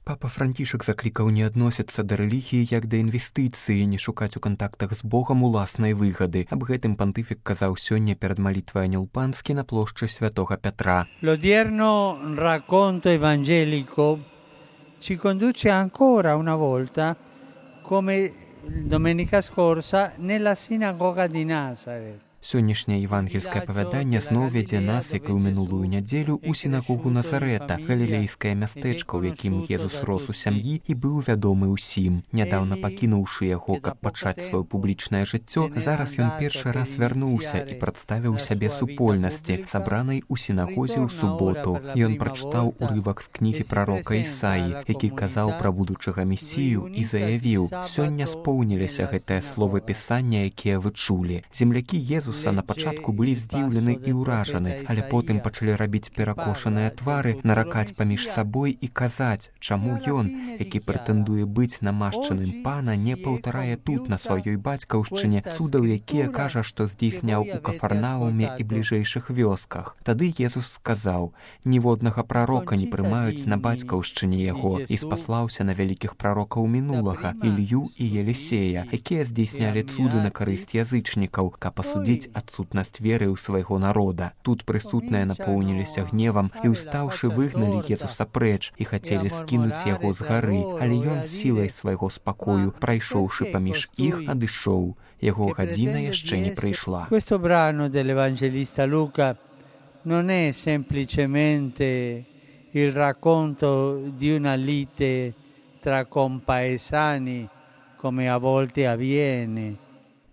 Папа Францішак заклікаў не адносіцца да рэлігіі як да інвестыцыі, не шукаць у кантактах з Богам уласнай выгады. Аб гэтым пантыфік казаў сёння перад малітвай Анёл Панскі на плошчы Святога Пятра. L'odierno racconto evangelico ci conduce ancora una volta, come domenica scorsa, nella sinagoga di Nazareth. Сённяшняе евангельскае апавяданне зноў вядзе нас, як і ў мінулую нядзелю, у сінагогу Назарета, галілейскае мястэчка, у якім Езус рос у сям'і і быў вядомы ўсім. Нядаўна пакінуўшы яго, каб пачаць сваё публічнае жыццё, зараз ён першы раз вярнуўся і прадставіў сябе супольнасці, сабранай у сінагозе ў суботу. Ён прачытаў урывак з кнігі прарока Ісаі, які казаў пра будучага месію і заявіў: «Сёння споўніліся гэтыя словы пісання, якія вы чулі». Землякі Езуса на пачатку былі здзіўлены і ўражаны, але потым пачалі рабіць перакошаныя твары, наракаць паміж сабой і казаць, чаму ён, які прэтэндуе быць намашчаным пана, не паўтарае тут, на сваёй бацькаўшчыне, цудаў, якія кажа, што здзейсняў у Кафарнауме і бліжэйшых вёсках. Тады Езус сказаў: «Ніводнага прарока не прымаюць на бацькаўшчыне яго», і спаслаўся на вялікіх прарокаў мінулага, Ілью і Елісея, якія здзейснялі цуды на карысць язычнікаў, каб асудзіць адсутнасць веры ў свайго народа. Тут прысутныя напоўніліся гневам і, устаўшы, выгналі Езуса прэч і хацелі скінуць яго з гары, але ён сілай свайго спакою, прайшоўшы паміж іх, адышоў. Яго гадзіна яшчэ не прыйшла. Questo brano dell'Evangelista Luca non è semplicemente il racconto di una lite tra compaesani, come a volte avviene.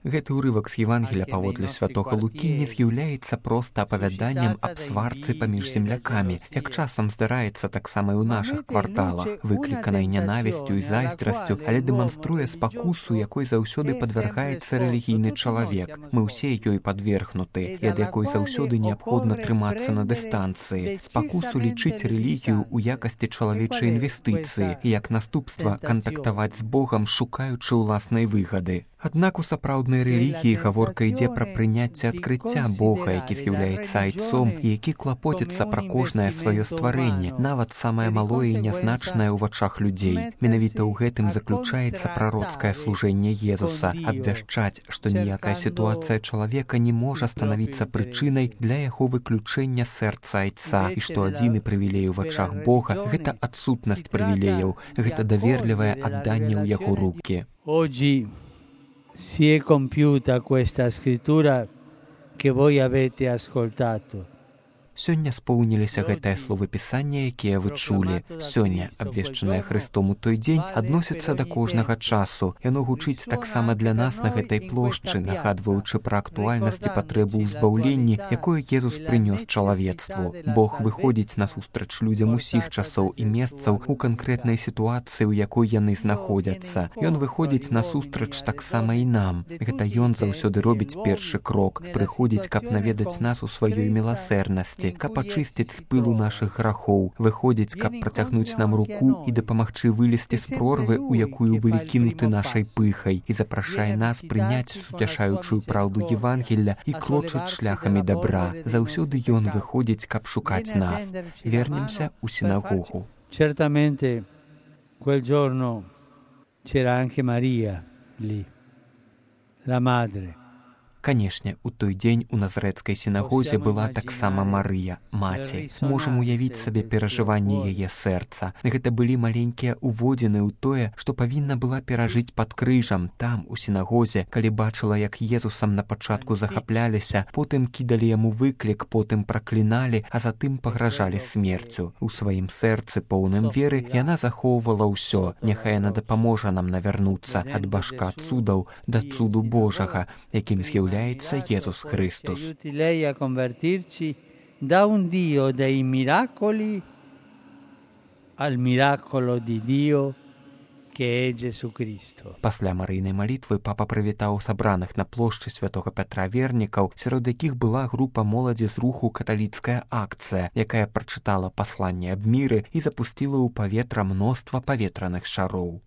Гэты ўрывак з Евангелія паводле святога Лукі не з'яўляецца проста апавяданнем аб сварцы паміж землякамі, як часам здараецца таксама і ў нашых кварталах, выкліканай нянавісцю і зайздрасцю, але дэманструе спакусу, якой заўсёды падвяргаецца рэлігійны чалавек. Мы ўсе ёй падвергнуты, і ад якой заўсёды неабходна трымацца на дыстанцыі. Спакусу лічыць рэлігію ў якасці чалавечай інвестыцыі і як наступства кантактаваць з Богам, шукаючы ўласнай выгады. Аднак у сапраўднай рэлігіі гаворка ідзе пра прыняцце адкрыцця Бога, які з'яўляецца айцом і які клапоціцца пра кожнае сваё стварэнне, нават самае малое і нязначнае ў вачах людзей. Менавіта ў гэтым заключаецца прароцкае служэнне Езуса — абвяшчаць, што ніякая сітуацыя чалавека не можа станавіцца прычынай для яго выключэння сэрца айца, і што адзіны прывілей у вачах Бога — гэта адсутнасць прывілеяў, гэта даверлівае адданне ў яго рукі. Si è compiuta questa scrittura che voi avete ascoltato. Сёння споўніліся гэтыя словы пісання, якія вы чулі. Сёння, абвешчанае Хрыстом у той дзень, адносіцца да кожнага часу. Яно гучыць таксама для нас на гэтай плошчы, нагадваючы пра актуальнасць і патрэбу ў збаўленні, якое Езус прынёс чалавецтву. Бог выходзіць насустрач людзям усіх часоў і месцаў у канкрэтнай сітуацыі, у якой яны знаходзяцца. Ён выходзіць насустрач таксама і нам. Гэта ён заўсёды робіць першы крок, прыходзіць, каб наведаць нас у сваёй міласэрнасці, каб ачысціць з пылу нашых грахоў, выходзіць, каб працягнуць нам руку і дапамагчы вылезці з прорвы, у якую былі кінуты нашай пыхай, і запрашае нас прыняць суцяшаючую праўду Евангелля і крочыць шляхамі дабра. Заўсёды ён выходзіць, каб шукаць нас. Вернемся ў сінагогу. Certamente quel giorno c'era anche Maria lì, la madre. Канешне, у той дзень у назарэцкай сінагозе была таксама Марыя, маці. Можам уявіць сабе перажыванні яе сэрца. Гэта былі маленькія уводзіны ў тое, што павінна была перажыць пад крыжам, там, у сінагозе, калі бачыла, як Езусам на пачатку захапляліся, потым кідалі яму выклік, потым пракліналі, а затым пагражалі смерцю. У сваім сэрцы, поўным веры, яна захоўвала ўсё. Няхай яна дапаможа нам навярнуцца ад башка цудаў да цуду Божага, якім з'яўляецца Jesús Christus. Aiuti lei a convertirci da un Dio dei miracoli al miracolo di Dio che è Gesù Cristo. Пасля марыйнай малітвы папа прывітаў сабраных на плошчы Святога Пятра вернікаў, сярод якіх была група моладзі з руху «Каталіцкая акцыя», якая прачытала пасланне аб міры і запусціла ў паветра мноства паветраных шароў.